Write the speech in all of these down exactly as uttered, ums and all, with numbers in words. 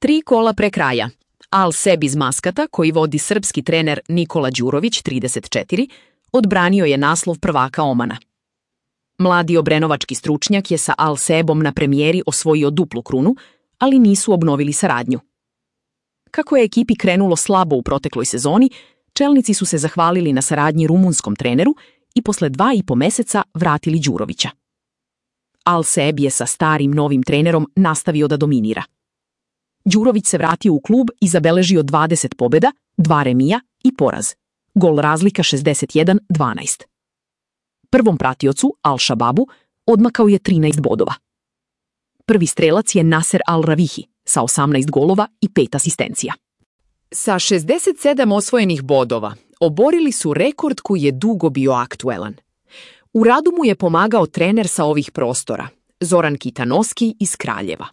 Tri kola pre kraja. Al Seb iz Maskata, koji vodi srpski trener Nikola Đurović, trideset četiri, odbranio je naslov prvaka Omana. Mladi obrenovački stručnjak je sa Al Sebom na premijeri osvojio duplu krunu, ali nisu obnovili saradnju. Kako je ekipi krenulo slabo u protekloj sezoni, čelnici su se zahvalili na saradnji rumunskom treneru i posle dva i po meseca vratili Đurovića. Al Seb je sa starim novim trenerom nastavio da dominira. Đurović se vratio u klub i zabeležio dvadeset pobjeda, dva remija i poraz. Gol razlika šezdeset jedan dvanaest. Prvom pratiocu, Al Shababu, odmakao je trinaest bodova. Prvi strelac je Naser Al Ravihi sa osamnaest golova i pet asistencija. Sa šezdeset sedam osvojenih bodova oborili su rekord koji je dugo bio aktuelan. U radu mu je pomagao trener sa ovih prostora, Zoran Kitanoski iz Kraljeva.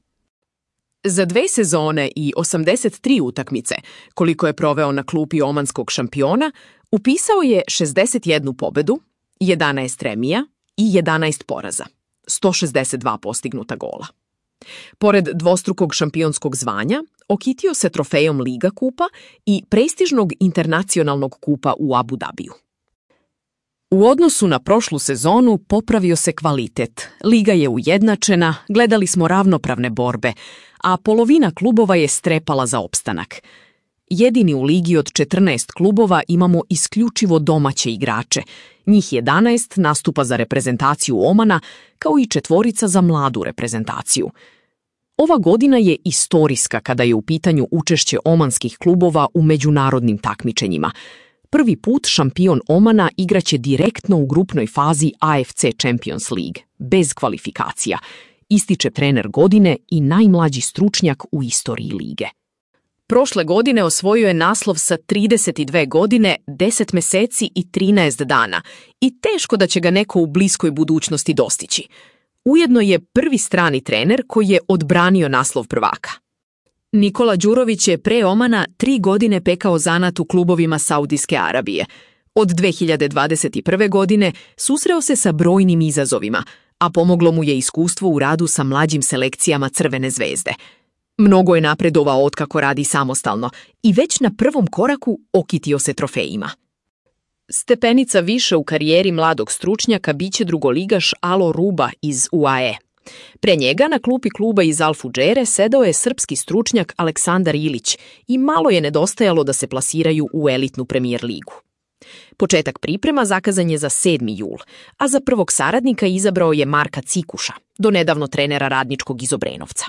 Za dve sezone i osamdeset tri utakmice, koliko je proveo na klupi omanskog šampiona, upisao je šezdeset jednu pobedu, jedanaest remija i jedanaest poraza, sto šezdeset dva postignuta gola. Pored dvostrukog šampionskog zvanja, okitio se trofejom Liga kupa i prestižnog internacionalnog kupa u Abu Dabiju. U odnosu na prošlu sezonu popravio se kvalitet, liga je ujednačena, gledali smo ravnopravne borbe, a polovina klubova je strepala za opstanak. Jedini u ligi od četrnaest klubova imamo isključivo domaće igrače, njih jedanaest nastupa za reprezentaciju Omana, kao i četvorica za mladu reprezentaciju. Ova godina je istorijska kada je u pitanju učešće omanskih klubova u međunarodnim takmičenjima. Prvi put šampion Omana igraće direktno u grupnoj fazi A F C Champions League, bez kvalifikacija, ističe trener godine i najmlađi stručnjak u istoriji lige. Prošle godine osvojio je naslov sa trideset dve godine, deset meseci i trinaest dana i teško da će ga neko u bliskoj budućnosti dostići. Ujedno je prvi strani trener koji je odbranio naslov prvaka. Nikola Đurović je pre Omana tri godine pekao zanat u klubovima Saudijske Arabije. Od dve hiljade dvadeset prve. godine susreo se sa brojnim izazovima, a pomoglo mu je iskustvo u radu sa mlađim selekcijama Crvene zvezde. Mnogo je napredovao otkako radi samostalno i već na prvom koraku okitio se trofejima. Stepenica više u karijeri mladog stručnjaka biće drugoligaš Alo Ruba iz U A E. Pre njega na klupi kluba iz Al Fudžere sedao je srpski stručnjak Aleksandar Ilić i malo je nedostajalo da se plasiraju u elitnu Premier ligu. Početak priprema zakazan je za sedmi jul, a za prvog saradnika izabrao je Marka Cikuša, donedavno trenera Radničkog iz Obrenovca.